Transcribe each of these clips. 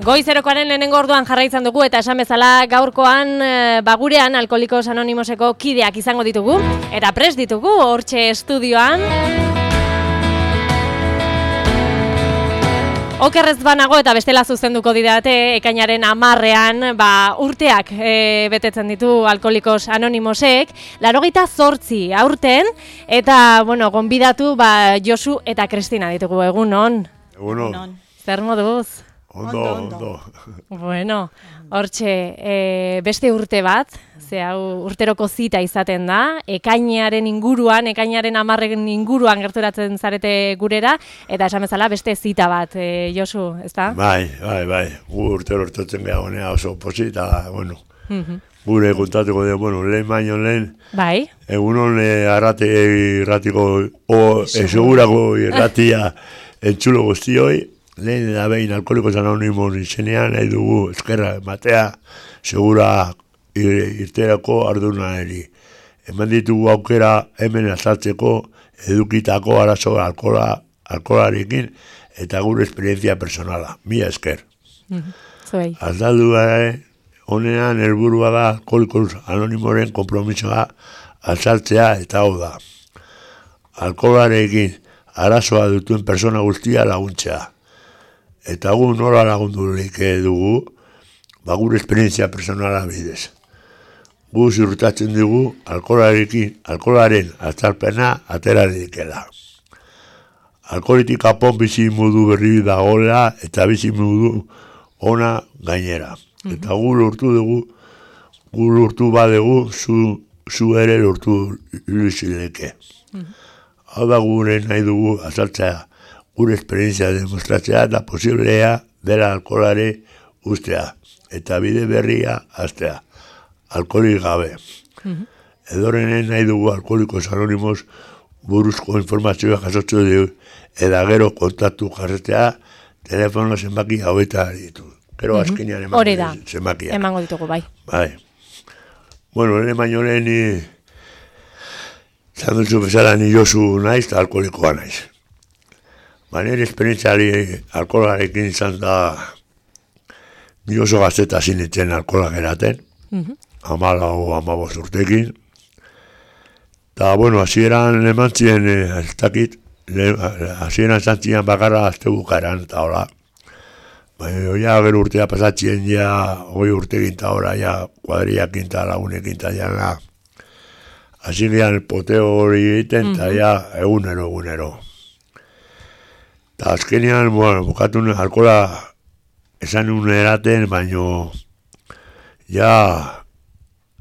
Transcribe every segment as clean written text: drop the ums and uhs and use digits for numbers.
Goizerokoaren lehenengo orduan jarraitzen dugu eta esan bezala gaurkoan gurean Alkoholikos Anonimoseko kideak izango ditugu eta prest ditugu hortxe estudioan. Okerrez banago eta bestela zuzenduko didate ekainaren 10ean urteak betetzen ditu Alkoholikos Anonimosek, 88 aurten eta gonbidatu Josu eta Kristina ditugu. Egunon. Egunon. Zer moduz? Ondo. Bueno, hortxe beste urte bat, ze hau urteroko zita izaten da, ekainaren 10-en inguruan gerturatzen zarete gurera, eta esan bezala beste zita bat, Josu, ezta? Bai, urtero hortatzen geha honea oso posita, gure kontatuko dugu, lehen baino lehen, bai. Egunon irratiko, segurako irratia entzulo guztioi, lehen da behin Alkoholikos Anonimos izenean nahi dugu eskerra matea segura irterako ardunari. Eman ditugu aukera hemen azaltzeko edukitako arazo alkoholarekin eta gure esperientzia personala. Mila esker. Azaldu honean helburua da Alkoholikos Anonimoren konpromisoa azaltzea eta hau da. Alkoholarekin arazoa dutuen persona guztia laguntzea. Eta gu nola lagundurik dugu, gure esperientzia personala bidez. Gu ziurtatzen dugu alkoholaren azalpena atera dikela. Alkoholitik apon bizi modu berri dagoela eta bizi modu ona gainera. Eta gu lortu badegu, zu ere lortu ilusileke. Hau da gure nahi dugu azaltzea, gure esperientzia demostratzea eta posiblea dela alkoholare ustea eta bide berria hastea, alkoholik gabe. Edorenen nahi dugu Alkoholikos Anonimos buruzko informazioa jasotzen dugu eta gero kontatu jarretea telefono zenbaki haueta ditu. Gero azkenean zenbakia. Emango ditugu, bai. Bai. Lehen baino lehen zanduzu bezala ni Josu naiz eta alkoholikoa naiz. Nire esperientziari alkoholarekin izan da ni oso gazteta zinetzen alkoholak eraten, 14-15 urtekin. Eta, hasieran eman ziren, ez dakit, hasieran zantzian bakarra azte bukaeran eta hola. Gero urtea pasatzen 20 urtekin eta hola, kuadriakin eta lagunekin eta jana. Hasieran poteo hori egiten eta egunero. Eta azkenean, bukatu alkohola esan nuen eraten, baino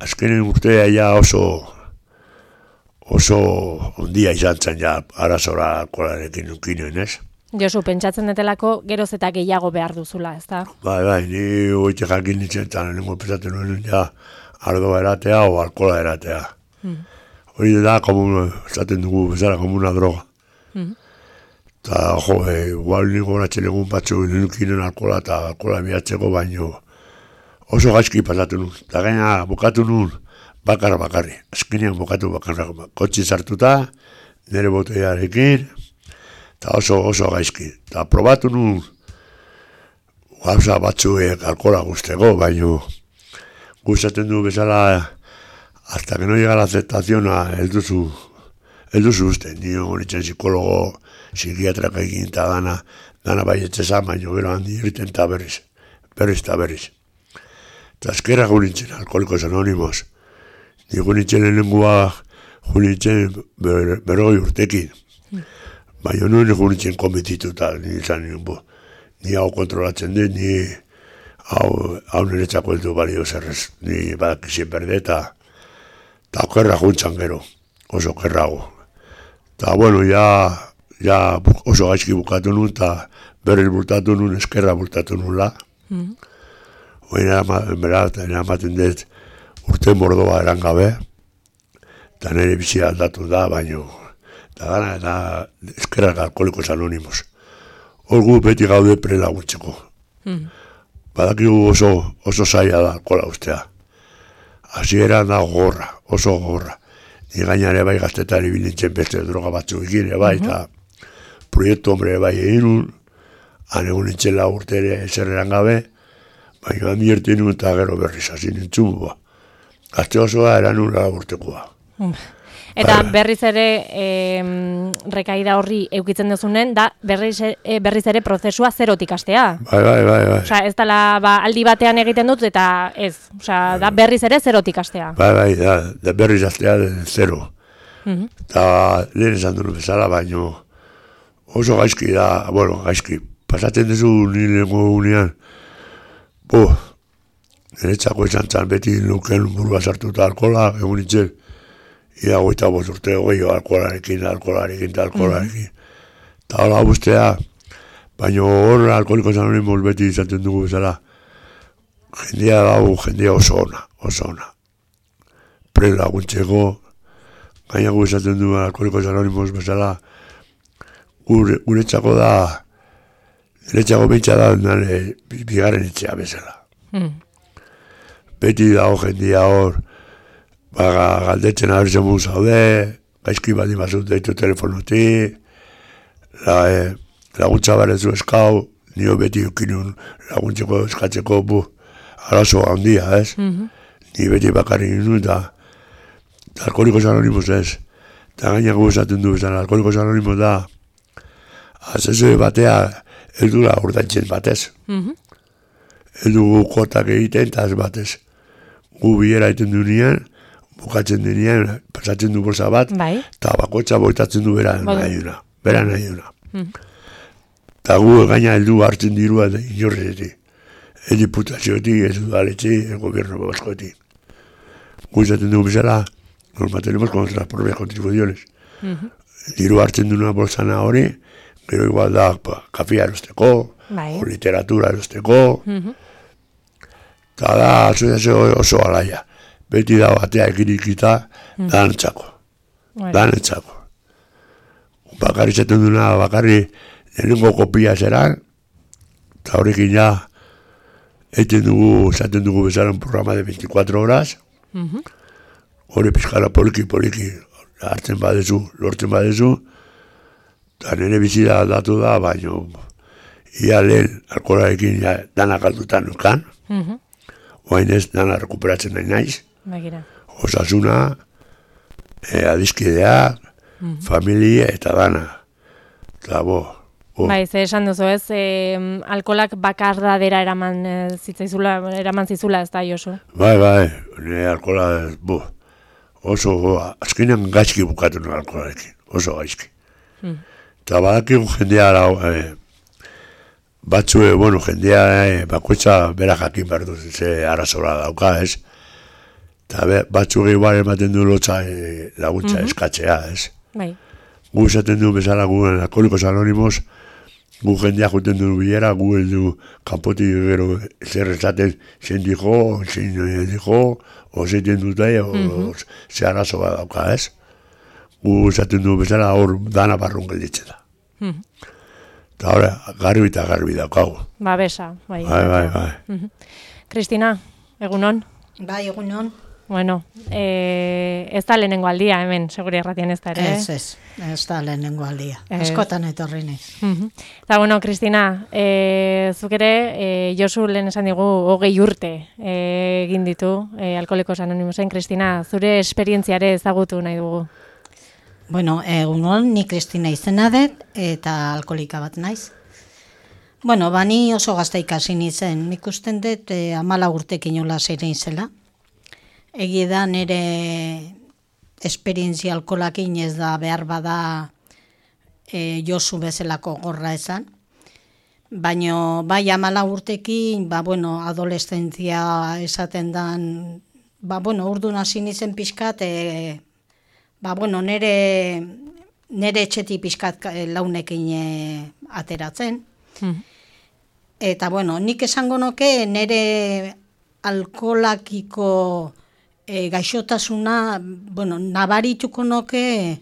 azkenen urtea oso ondia izan zen arazora alkoholarekin nunkinen, ez? Josu, pentsatzen detelako geroz eta gehiago behar duzula, ez da? Bai, ni goite jakin nintzen eta nengo pensatzen nuen ardoa eratea o alkohola eratea. Hori da, esaten dugu bezala, como una droga. Eta, igual niko horatzen egun batzu nukinen alkohola eta alkohola bihatzeko, baino oso gaizki pasatu nun. Eta gaina bukatu nun bakarri. Azkenean bukatu bakarra. Kotxe sartuta, nire botearekin, eta oso gaizki. Eta probatu nun gauza batzuek alkohola guzteko, baino gustatzen du bezala hasta que no llega la aceptación elduzu uste. Nio horitzen psikologo, psikiatrak egin eta dana baietzezan, baino gero handi irten eta berriz. Eta azkerra gunintzen, Alkoholikos Anonimos. Ni gunintzen lehenengua berrogei urtekin. Baina nuen gunintzen konbitituta, ni hau kontrolatzen dut, ni hau niretzako heldu balio zerrez, ni badakizien berde eta okerra guntzan gero, oso okerrago. Eta oso gaizki bukatu nun, eta berriz bultatu nun, eskerra bultatu nula. Hora ematen dut urte mordoa eran gabe, eta nire bizia aldatu da, baino, eta gana eta eskerrak Alkoholikos Anonimos. Hor gu beti gaude prelaguntzeko. Badakigu oso zaila da alkohola ustea. Hasieran da oso gogorra. Ni gainare bai gaztetari bilintzen beste droga batzuk egin, eta proiektu hombre bai egin nun, han egun nintzen urte ere zerreran gabe, Baina amierten nuen eta gero berriz hasi nintzun, Gazte osoa eran ura urtekoa. Eta berriz ere rekaida horri eukitzen duzunen, da berriz ere prozesua zerotik hastea. Bai. Osea, ez dela aldi batean egiten dut eta ez. Osea, da berriz ere zerotik hastea. Bai, da berriz hastea zero. Eta lehen esan duen bezala, baino oso gaizki da, gaizki. Pasatzen duzu nirengo unean, niretzako izan zan beti nuken burua sartuta alkola, egun nintzen, ia 25 urte alkolarekin. Eta hola guztea, baina hor Alkoholikos Anonimos beti izaten dugu bezala, jendea oso ona. Pre laguntzeko, gainago izaten dugu Alkoholikos Anonimos bezala, guretzako da, niretzako behitza da, bigarren etxea bezala. Beti dago jendea hor, galdetzen abertzen mu zaude, gaizki badi bazut deitu telefonotik, laguntza barezu eskau, nio beti eukinun laguntzeko eskatzeko arazo handia, ez? Ni beti bakarrik nuen, eta Alkoholikos Anonimos ez. Eta gainako esaten du bezala, Alkoholikos Anonimos da, azezue batea, ez dura urdantzen batez. Ez dugu kotak egiten, eta ez batez. Gu bilera egiten duenean, bukatzen denean, pasatzen du bolsa bat, eta bakotxa boitatzen du bera nahi duna. Eta gu gaina heldu hartzen dirua inorretik. Ez diputazioetik, ez udaletxetik, ez gobierno baskoetik. Gu izaten dugu bezala, nos mantenemos con nuestras propias contribuciones. Diru hartzen duna bolsana hori, gero igual da kafea erosteko, o literatura erosteko, eta da, oso alaia. Beti da batea ekirikita, danentzako. Bakarri zaten duna, lehenengo kopia zeran, eta horrekin ja, zaten dugu bezala un programa de 24 horas, hori pizkara poliki, hartzen badezu, lortzen badezu, eta nire bizida aldatu da, baina ia lehen alkoholarekin dana galdutan nukan, oain ez dana rekuperatzen nahi naiz, osasuna, adizkidea, familia eta dana. Eta Bai, ze esan duzu ez, alkoholak bakardadera eraman zizula ez da, Josu? Bai, nire alkohola, oso, azkenean gaizki bukatu nire alkoholarekin, oso gaizki. Eta badakiko jendea, batzue, jendea bakoitza bera jakin behar duz, ze arazola dauka, ez? Eta batzuk igual ematen du lotza laguntza eskatzea, ez? Bai. Gu esaten du bezala gu Alkoholikos Anonimos, gu jendea juten du bilera, gu heldu kanpotik gero zer esaten zein dijo, o zeiten dute, o ze arazoa dauka, ez? Gu esaten du bezala hor dana barrun gelditzen da. Eta hori, garbi daukagu. Besa, bai. Kristina, egunon? Bai, egunon. Bueno, ez da lehenengo aldia hemen, seguri erratien ez da ere. Ez da lehenengo aldia. Askotan etorri naiz. Eta, Kristina, zuk ere, Josu lehen esan digu 20 urte egin ditu Alkoholikos Anonimosen. Kristina, zure esperientziare ezagutu nahi dugu. Bueno, egunon, ni Kristina izena dut, eta alkoholika bat naiz. Bueno, ni oso gazta ikasi nintzen. Nik usten dut 14 urtekin nola zeirein zela. Egi da nire esperientzia alkoholakin ez da behar bada Josu bezalako gorra esan. Baina bai 14 urtekin, adolescentzia esaten dan, urdun hasi nintzen pixkat, nire etxetik pixkat launekin ateratzen. Eta nik esango nuke nire alkoholakiko gaixotasuna, nabarituko nuke,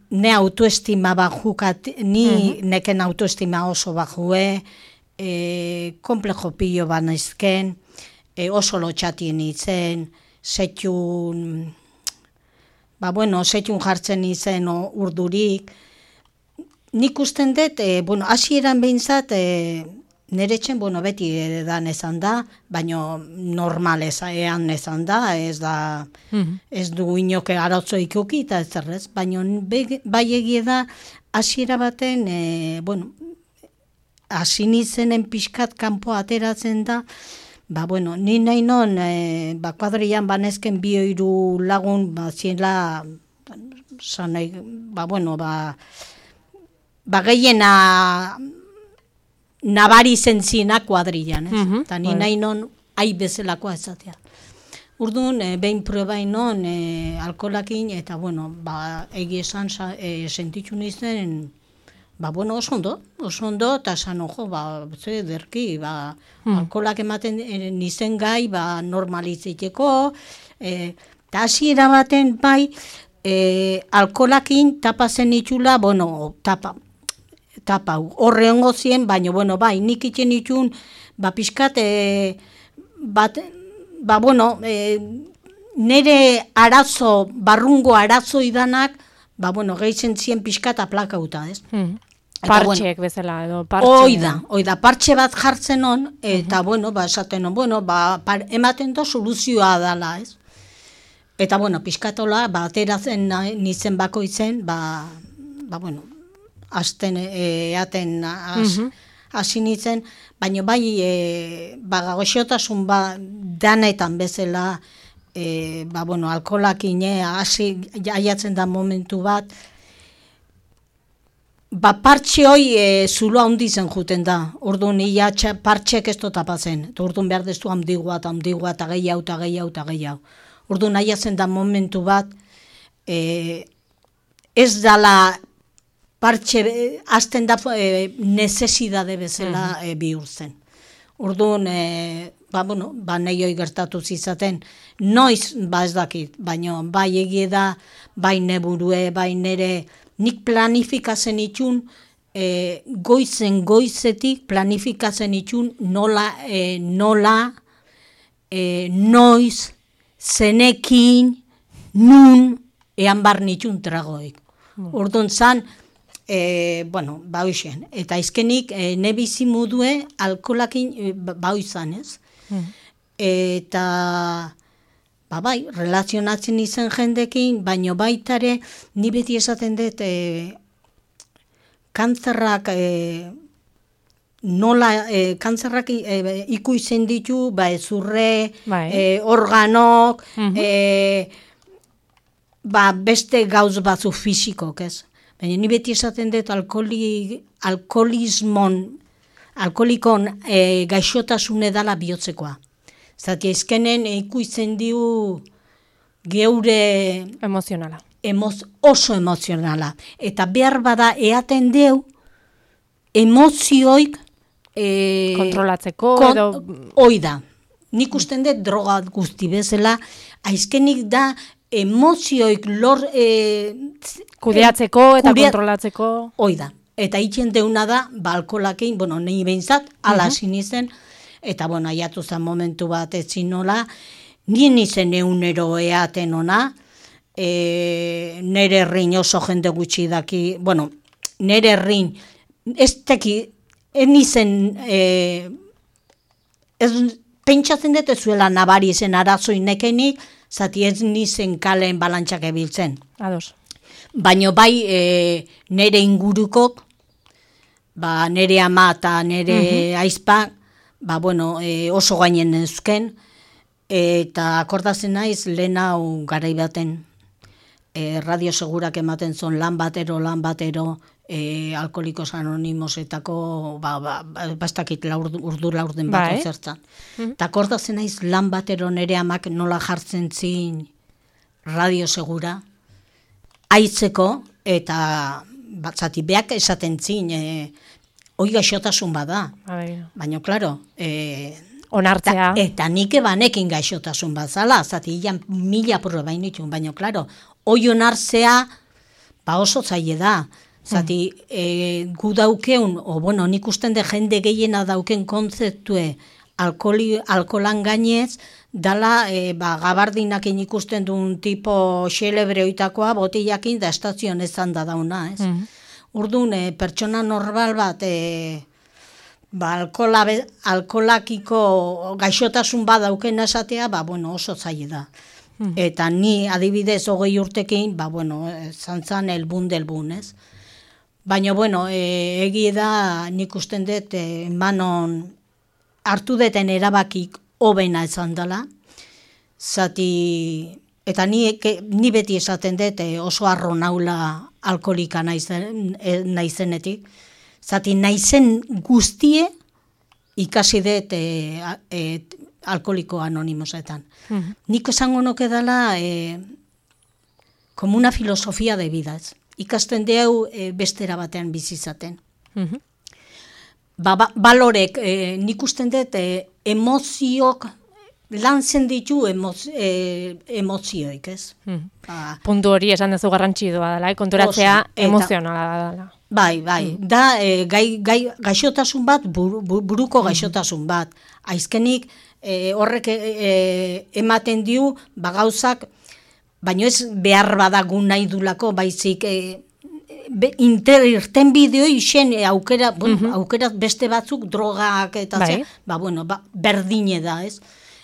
ne autoestima bajukat, neken autoestima oso bajue, komplejo pilo banaizken, oso lotxatien itzen, setxun jartzen izen urdurik. Nik usten dut, hasieran behintzat, nire etxen, bueno, beti edan esan da, baina normal ean esan da, ez du inoke arotzo ikuki eta ez zerrez, baina bai egie da, hasiera baten, bueno, hasi nizenen pixkat kanpo ateratzen da, bueno, ni nahi non, kuadrian banezken 2-3 lagun, ziela, zanai, bueno, gehiena nabari zentzina kuadrilan, ez? Eta ni nahi non, bezalakoa ezatea. Urduan, behin probain non, alkoholakin, eta, bueno, egi esan sentitzu nizten, bueno, oso ondo, eta esan, ojo, derki, alkoholak ematen nizen gai, normalitziteko, eta hasiera baten bai, alkoholakin tapa zen itxula, bueno, tapa, horre hongo zien, baina, bueno, bai, nik itxen itxun, pixkat, bueno, nire arazo, barrungo arazo idanak, bueno, gehizen zien pixkat aplakauta, ez? Partxek bezala, edo partxe. Oida, partxe bat jartzen on, eta, bueno, esaten on, bueno, ematen do soluzioa dala, ez? Eta, bueno, pixkatola, ateratzen nizen bakoitzen, bueno, azten eaten hasi nitzen, baina bai, goxotasun danetan bezala, bueno, alkoholakin hasi aiatzen da momentu bat, partxe hoi zulo handi zen juten da, orduan ia partxek ez tapatzen, orduan behar dezu handigua eta gehiago. Orduan aiatzen da momentu bat, ez dala partxe, azten da nezesidade bezala bihurtzen. Orduan, bueno, nahi hoi gertatu zizaten, noiz, ez dakit, baina bai egie da, bai neburue, bai nere, nik planifikatzen itxun, goizetik planifikatzen itxun nola, noiz, zenekin, nun, ean bar nitxun tragoik. Orduan zan, bueno, hoxen, eta izkenik nebizi mudue alkoholakin izan, ez? Eta, bai, relazionatzen izan jendekin, baino baitare, ni beti esaten dut, kantzerrak, nola, kantzerrak ikuizen ditu, ezurre, organok, beste gauz batzu fisikok, ez? Baina ni beti esaten dut alkoholikon gaixotasune dala bihotzekoa. Zati ezkenen ikuitzen diu geure emozionala. Oso emozionala. Eta behar bada eaten deu emozioik kontrolatzeko edo oida. Nik usten dut droga guzti bezala, aizkenik da emozioik kudeatzeko eta kontrolatzeko. Oida. Eta itxen deuna da, alkoholakein, bueno, nahi behintzat, ala sinizen, eta, bueno, aiatu zen momentu bat etzin nola, nien izen eunero eaten ona, nere errin oso jende gutxi daki, bueno, nere errin, ez teki, pentsatzen dut ez zuela nabari zen arazoin nekenik, zati ez nizen kalen balantxak ebiltzen. Ados. Baina bai nere ingurukok, nere ama eta nere aizpa, bueno, oso gainen eusken, eta akordazen naiz lehen hau garai baten, Radio Segurak ematen zon lan batero, Alkoholikos Anonimosetako, bastakit urdu laurden bat zertan. Eta akordazen naiz lan batero nere amak nola jartzen zin Radio Segura, aitzeko, eta zati beak esaten zin, hoi gaixotasun bada. Baina, klaro, onartzea. Eta nik banekin gaixotasun bat zala, zati ilan 1000 probain ditun, baina, klaro, hoi onartzea, oso zaile da. Zati, gu daukeun, bueno, nik usten de jende gehiena dauken kontzeptue alkoholan gainez, dala, gabardinak ikusten duen tipo xelebre oitakoa, botillakin da estazion ezan da dauna, ez? Urduan, pertsona normal bat, alkolakiko gaixotasun badauken esatea, oso zaila da. Eta ni adibidez 20 urtekin, zantzan elbun, ez? Baina, egi da nik usten dut manon hartu deten erabakik hobena izan dela, zati, eta ni beti esaten dut oso arro naula alkolika naizenetik, zati naizen guztie ikasi dut alkoliko anonimosetan. Nik esango nuke dela como una filosofia de vida, ez? Ikasten deu bestera batean bizizaten. Balorek, nik usten dut emozioak lantzen ditu emozioik, ez? Puntu hori esan dezu garrantzidua dela, konturatzea emozionala dela. Bai, da gaixotasun bat, buruko gaixotasun bat. Aizkenik horrek ematen diu, gauzak, baino ez behar badagun nahi dulako, baizik irten bideo isen aukera beste batzuk drogak eta berdine da, ez?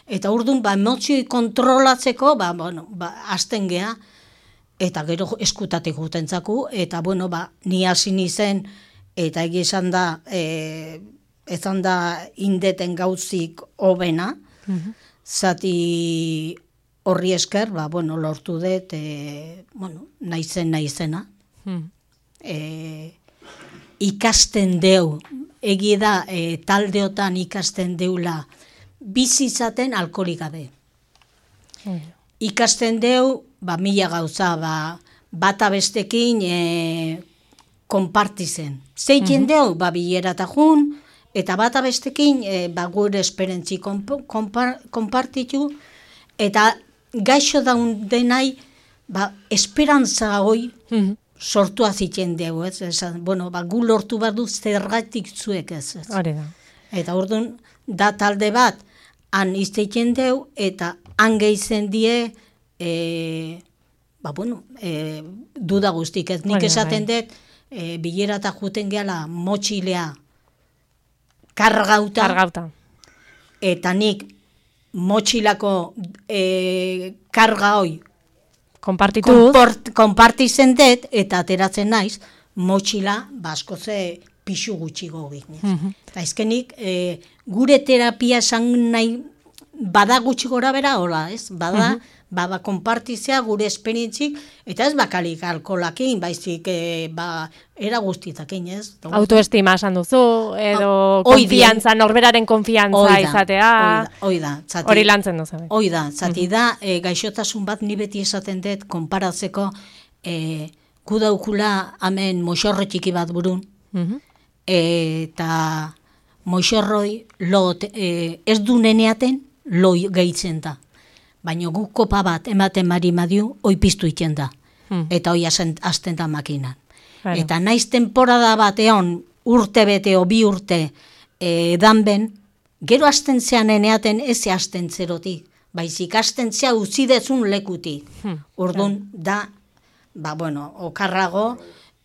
Eta orduan, emozioi kontrolatzeko, hasten geha, eta gero eskutatik gutentzaku, eta ni hasi nizen, eta egi esan da, ezan da indeten gauzik hobena, zati horri esker, lortu dut, naizena. Ikasten deu, egi da taldeotan ikasten deula, bizizaten alkolik gabe. Ikasten deu, mila gauza, bata bestekin konpartizen. Zeiten deu, bilerata jun, eta bata bestekin gure esperentzi konpartitu, eta gaixo daun denai, esperantza hoi sortu aziten dugu, ez? Gu lortu bat du zergatik zuek, ez? Eta orduan, da talde bat, han izteiten deu, eta han gehizen die, duda guztik, ez? Nik esaten dut, bilerata juten gehala motxilea kargauta, eta nik motxilako karga hoi konpartizen dut, eta ateratzen naiz, motxila baskoze pixu gutxigo ginez. Eta ezkenik, gure terapia esan nahi bada gutxi gora bera, hola, ez? Bada konpartizea gure esperientzik, eta ez bakalik alkolakin, baizik era guztitakin, ez? Autoestima esan duzu, edo konfiantza, norberaren konfiantza izatea. Hori lantzen duzu. Hoi da, zati da, gaixotasun bat ni beti esaten dut, konparatzeko, gu daukula hemen moixorro txiki bat burun, eta moixorroi ez du neneaten lo gehitzen da. Baina guk kopa bat ematen marimadiu, hoi piztu iten da. Eta hoi hasten da makinan. Eta naiz temporada bat egon urte bete o 2 urte danben, gero hasten zean eneaten ez hasten zerotik. Baizik hasten zea utzi dezun lekutik. Orduan da, okarrago,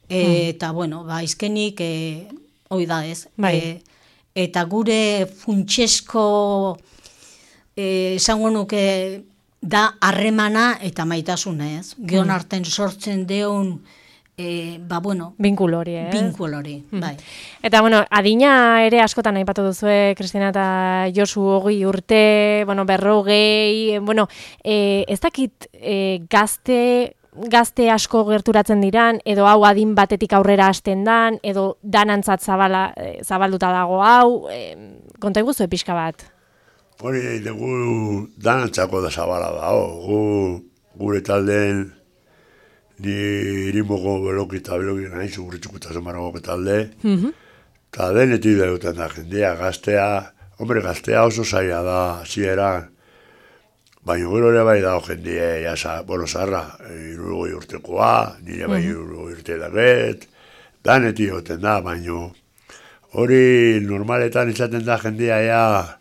eta izkenik hoi da ez. Eta gure funtsesko esango nuke da harremana eta maitasuna, ez? Gion arten sortzen deun binkulo hori, ez? Binkulo hori, bai. Eta, adina ere askotan aipatu duzue, Kristina eta Josu 20 urte, 40, ez dakit gazte asko gerturatzen diran, edo hau adin batetik aurrera hasten dan, edo danantzat zabalduta dago hau, konta iguzu pixka bat? Hori, dugu danantzako da zabala da, gure taldeen, ni irimoko beloki nahi, zugurritxukuta zemaragoko talde, eta denetik duten da jendea, gaztea oso zaila da, zieran, baina gero ere bai dago jendea, zarra, 60 urtekoa, nire bai 60 urte daget, danetik duten da, baina hori normaletan izaten da jendea,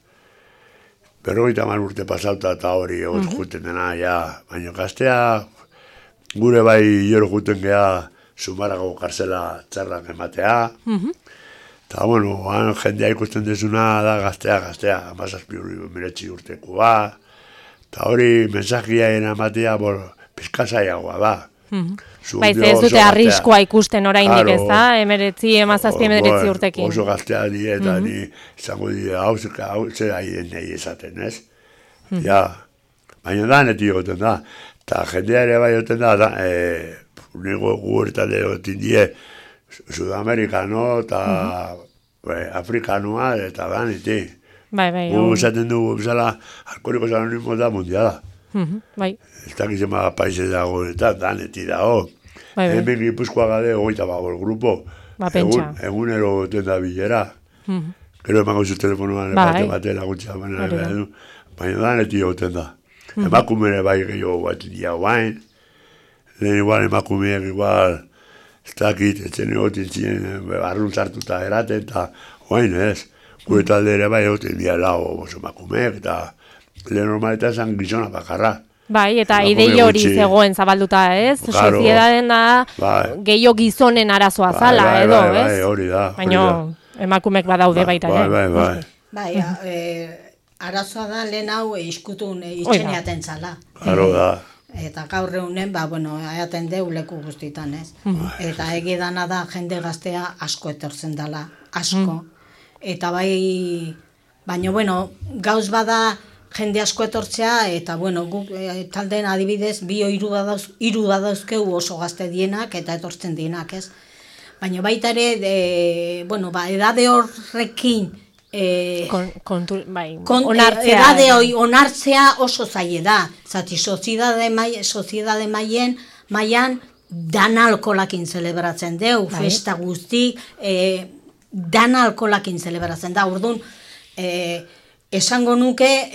50 urte pasauta eta hori juten dena, baina gaztea, gure bai jero juten geha Zumarago karzela txarrak ematea, Eta, bueno, jendea ikusten dezuna da gaztea, 17 urtekoa. Eta hori mensajiaen amatea, pizkazaiagoa da. Bai, ez dute arriskoa ikusten oraindik, ez da? 17 urtekin. Oso gaztea di, eta ni izango di, hau zera nahi esaten, ez? Ja, baina da, neti goten da. Eta jendea ere bai goten da, nego guertale gotin die, Sudamerikano eta Afrikanoa eta da, neti. Bai. Esaten dugu, bezala, Alkoholikos Anonimos da mundiala. Bai. Ez dakizema paise dago eta daneti dago. Hemen Gipuzkoa gade 25 grupo. Ba, pentsa. Egunero goten da bilera. Gero emango zu telefonoan bate laguntza. Baina daneti goten da. Emakumere bai gehiago bat dia guain. Lehen igual emakumeak igual ez dakit, etzen egoten ziren barrun sartuta eraten eta guain ez. Gure talde ere bai egoten dia lau emakumeak eta lehen normaleta esan gizona bakarra. Bai, eta ideia hori zegoen zabalduta, ez? Soziedaden da gehiago gizonen arazoa zala, edo, ez? Bai, hori da. Baina emakumek badaude baita, Bai. Bai, arazoa da lehen hau iskutun itxeneaten zala. Claro da. Eta gaur egunen, eaten deu leku guztitan, ez? Eta egidana da jende gaztea asko etortzen dela, asko. Eta baina, gauz bada jende asko etortzea, eta, guk talden adibidez, hiru badauzkeu oso gazte dienak, eta etortzen dienak, ez? Baina baita ere, edade horrekin, edade hori onartzea oso zaila da. Zati, soziedade mailan dana alkolakin zelebratzen deu, festa guztik, dana alkolakin zelebratzen da. Orduan, esango nuke,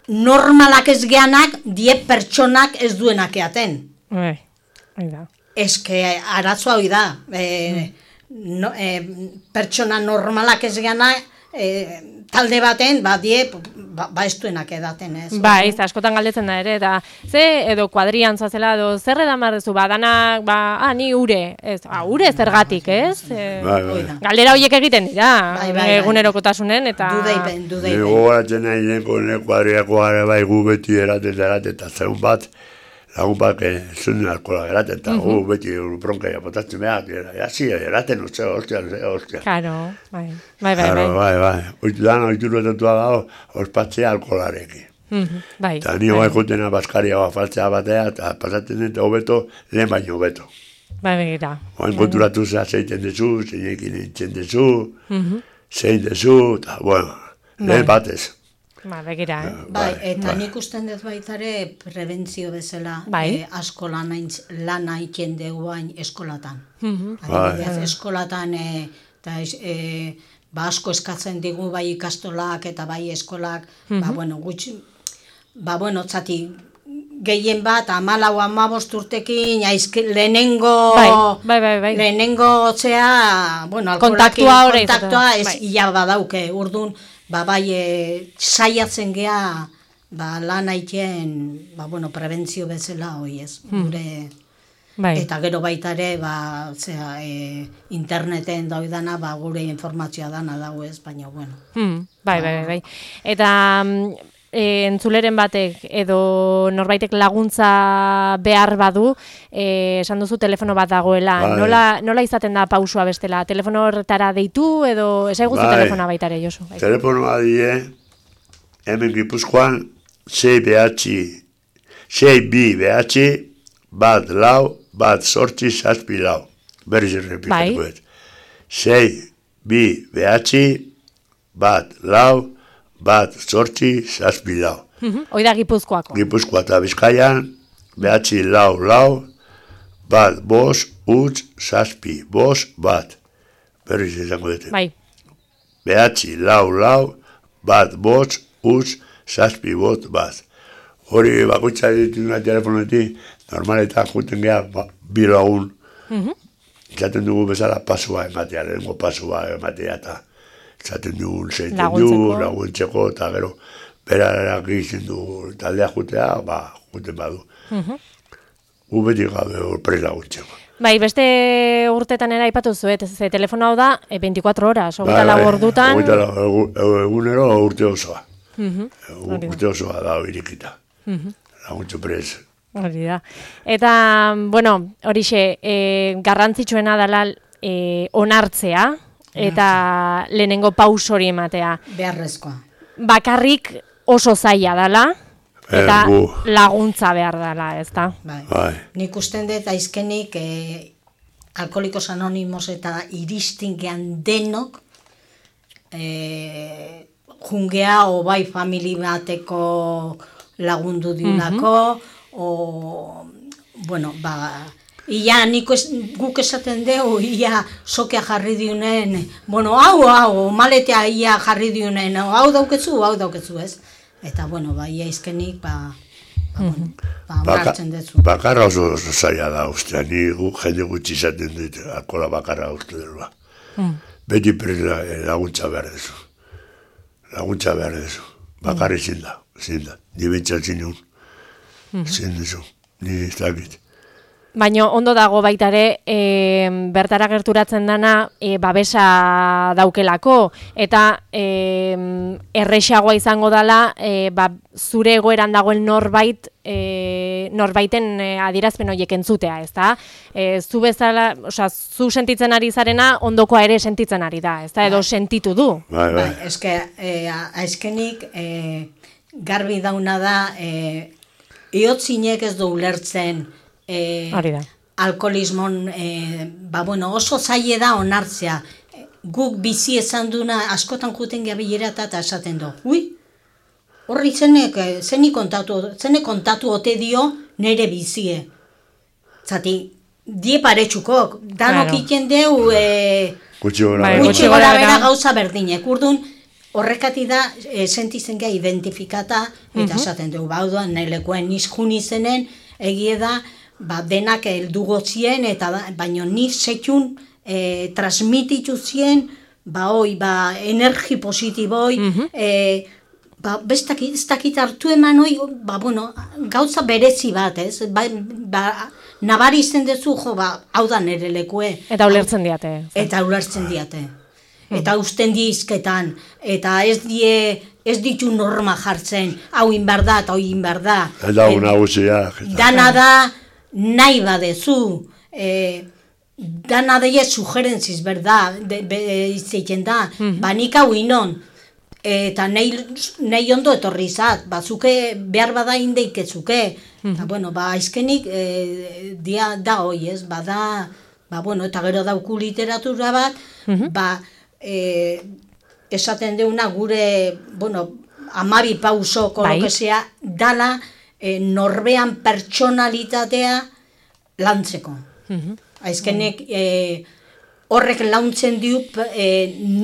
normalak ez geanak, 10 pertsonak ez duenak eaten. Eske, arazoa hori da. Pertsona normalak ez geanak, talde baten, ez duenak edaten, ez? Bai, askotan galdetzen da ere, eta edo kuadrian zoazela, edo zer edamarrezu, danak, ni ure, ure zergatik, ez? Galdera horiek egiten dira, egunerokotasunen, eta... Dudeipen. Gogoratzen nahi denko kuadriako gara bai gu beti eraten, eta zeun bat, lagun bat, zuen alkola eraten, eta gu beti bronka japotatzen behar, eraten, ostia. Claro, bai. Oitudan, oituruetatua dago, ospatzea alkolarekin. Eta nio gaikotena baskaria faltzea batea, eta pasatzen dut hobeto, lehen baino hobeto. Bai, begira. Oain konturatu zea zeiten dezu, zeinekin nintzen dezu, zein dezu, eta, lehen batez. Begira, Bai, eta nik usten dut baitare prebentzio bezala asko lan haitzen deguain eskolatan. Eskolatan, eta asko eskatzen digu bai ikastolak eta bai eskolak, zati, gehien bat, 14-15 urtekin, lehenengo zea, kontaktua ez ia badauke, urdun, saiatzen gea, lan haitien, prebentzio bezala hoi ez, gure, eta gero baita ere, interneten daudana, gure informazioa dana dau ez, baina, Bai. Eta entzuleren batek edo norbaitek laguntza behar badu, esan duzu telefono bat dagoela, nola izaten da pausua bestela? Telefono horretara deitu edo esaiguzu telefona baitare, Josu? Telefonoa die, hemen Gipuzkoan, 6 BH, 1-4-7 lau. Berriz errepikatuko ez. 6 BH, 1-4-7 lau. Hoi da Gipuzkoako. Gipuzkoa eta Bizkaian, BH lau, 1-5-7, 1 Berriz izango dute. Bai. BH lau, 1-5-7, Hori bakoitza ditu una telefonetik, normaletan juten geha, 2 lagun. Zaten dugu bezala pasua ematea, lehenko pasua ematea, eta zaten dugu laguntzeko, eta gero, berarak egiten dugu taldea jutea, juten badu. Gu beti gabe horprez laguntzeko. Bai, beste urtetan ere aipatu zuet, ze telefono hau da 24 horas, 24 ordutan. Egunero urte osoa. Urte osoa da irikita. Laguntxo prez. Hori da. Eta, bueno, horixe, garrantzitsuena dela onartzea, eta lehenengo paus hori ematea. Beharrezkoa. Bakarrik oso zaila dela, eta laguntza behar dela, ez da? Bai. Nik usten dut aizkenik Alkoholikos Anonimos eta iristingean denok jungea o bai famili bateko lagundu diunako, bueno, ia guk esaten dugu, ia sokea jarri diunen, bueno, hau, maletea ia jarri diunen, hau dauketzu, ez? Eta, bueno, ia izkenik, onartzen dezu. Bakarra oso zaila da, ustea, ni jende gutxi izaten dut, alkola bakarra urte dela. Beti prez laguntza behar dezu. Bakarri zin da. Ni bentsat zinun. Zin dezu, ni ez dakit. Baina ondo dago baita ere, bertara gerturatzen dana babesa daukelako, eta errexagoa izango dela zure egoeran dagoen norbaiten adierazpen horiek entzutea, ezta? Zu bezala, zu sentitzen ari zarena ondokoa ere sentitzen ari da, ezta? Edo sentitu du. Bai, azkenik garbi dauna da, iotzinek ez du ulertzen alkoholismon, oso zaile da onartzea. Guk bizi esan duna askotan juten gabilera eta esaten du. Horri zene kontatu ote dio nire bizie. Zati, die paretxukok, danok iten deu gutxi gora bera gauza berdinek. Urdun, horrekati da, sentizen geha identifikata, eta esaten dugu, bauduan, nahi lekoen nizkun izenen, egie da, denak heldu gotzien, baina ni sekun transmititu zien, energi positiboi, ez dakit hartu eman hoi, gauza berezi bat, ez? Nabari izten dezu, hau da nire lekue. Eta ulertzen diate. Eta usten dizketan, eta ez ditu norma jartzen, hau inbar da eta hau inbar da. Eta nagusia. Dana da, nahi badezu, dana daia sugerentziz, berda, izteiten da, nik hau inon, eta nahi ondo etorri izat, bazuke behar bada indeikezuke, eta aizkenik da hoi ez, eta gero dauku literatura bat, esaten deuna gure, amabi pausoko lokezea, dala, norbean pertsonalitatea lantzeko. Aizkenek horrek launtzen diup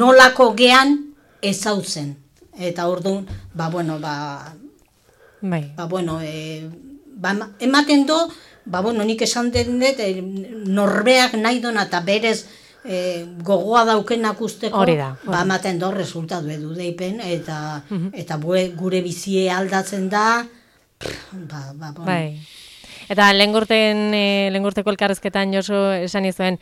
nolako gean ezautzen. Eta orduan, ematen do, nik esan den dut, norbeak nahi dona eta berez gogoa daukenak usteko, ematen do resultatu edu deipen, eta gure bizie aldatzen da, Bai. Eta lehengurteko elkarrezketan Josu esan izuen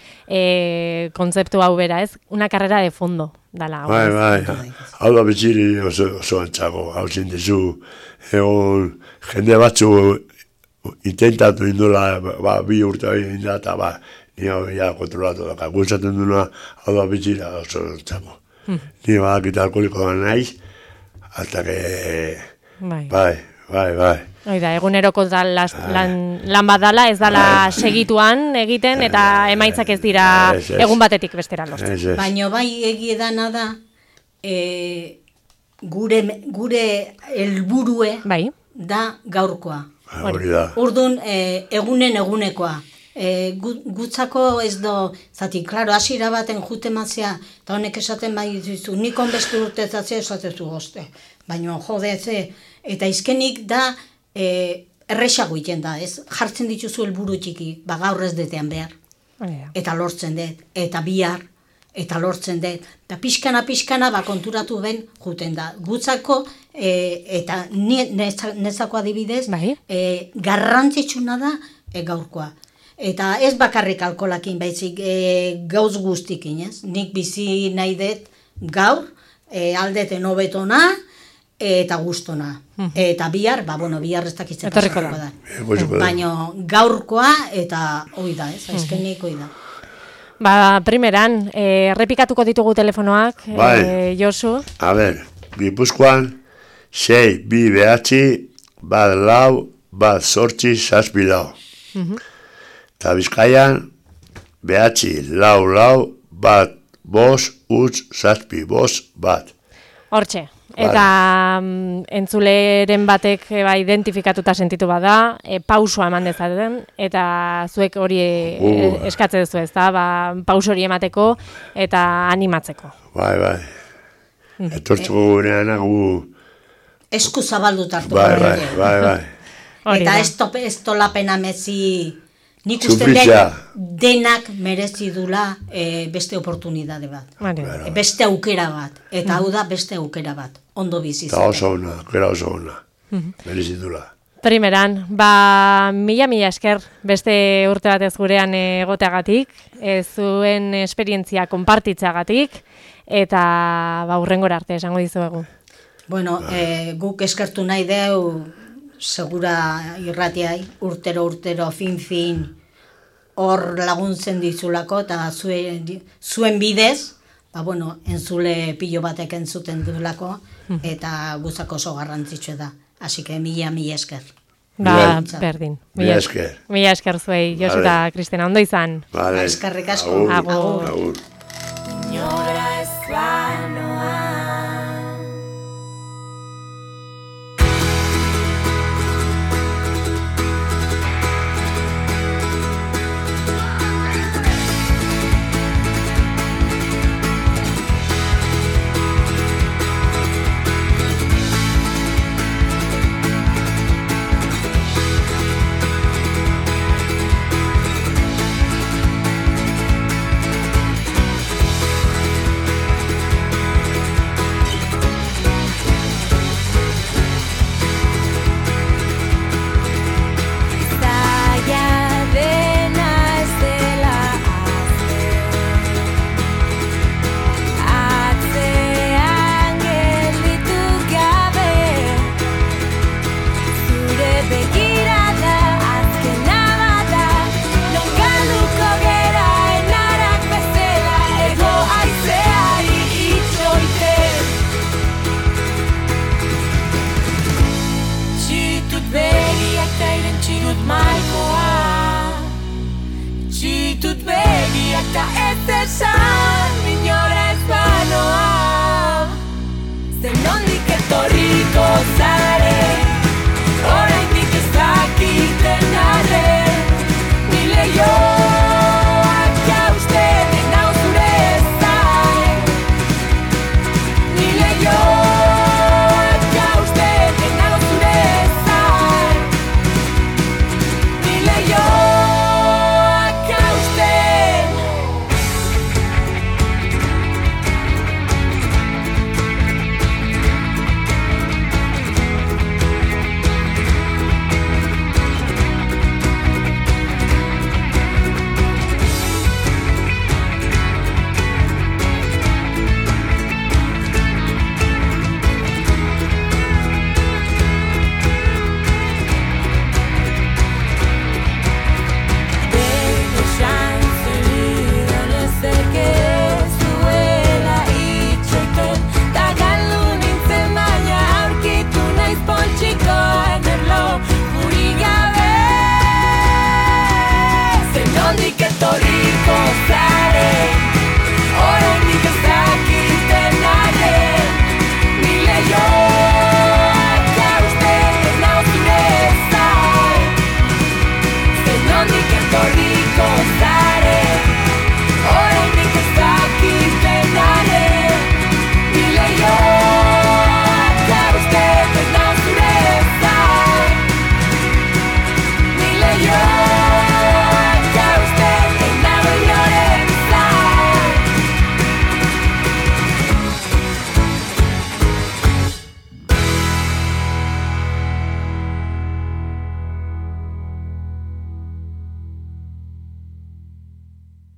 kontzeptu hau bera, ez? Una carrera de fondo dala. Bai. Hau da betxiri oso antzago, hau zindezu, egon jende batzu intentatu indula, bi urte inda, eta ni hau ya kontrolatu daka. Gutzaten duna, hau da betxiri oso antzago. Ni badakita alkoholiko da naiz, hasta que... Bai. Oida, eguneroko lan bat dala, ez dala segituan egiten, eta emaitzak ez dira egun batetik bestera lortzen. Baina egie dana da, gure helburue da gaurkoa. Urdun, egunekoa. Gutzako ez do, zati, klaro, asira baten jutemazia, eta honek esaten bai dizu, nikon beste urtezatzea esatezu gozte. Baina, eta izkenik da, errexago iten da, ez? Jartzen dituzu helburu txiki, gaur ez detean behar. Eta lortzen dut, eta bihar, eta lortzen dut. Eta pixkana, konturatu ben juten da. Gutzako, eta nezako adibidez, garrantzitsuna da gaurkoa. Eta ez bakarrik alkolakin baizik gauz guztikin, ez? Nik bizi nahi dut gaur, aldeten hobetona eta gustona. Eta bihar, bihar ez dakitzen pasako da. Baina gaurkoa eta hoi da, ez? Azkenik hoi da. Primeran, errepikatuko ditugu telefonoak, Josu. A ber, Gipuzkoan, 6, 2, 9, 4, 8, 7, 8. Eta Bizkaian, 9, 4, 1, 5, 7, 1. Hortxe. Eta entzuleren batek identifikatuta sentitu bada, pausua eman dezaten, eta zuek hori eskatze duzu ez da, paus hori emateko eta animatzeko. Bai. Etortzeko gurean esku zabaldu tartu. Bai. Eta ez tolapena mezi, nik uste denak merezi dula beste oportunidade bat. Beste aukera bat. Eta hau da beste aukera bat. Ondo bizitzen. Eta oso ona. Merezi dula. Primeran, mila esker beste urte batez gurean egoteagatik, zuen esperientzia konpartitzeagatik, eta hurrengora arte esango dizuegu. Bueno, guk eskertu nahi deu, segura irratiai, urtero, fin, hor laguntzen dizulako, eta zuen bidez, entzule pilo batek entzuten dulako, eta guzako oso garrantzitsu da. Así que mila esker. Berdin. Mila esker. Mila esker zuei, Josu eta Kristina, ondo izan. Eskerrik asko. Agur. Inora ez banoa. Rico.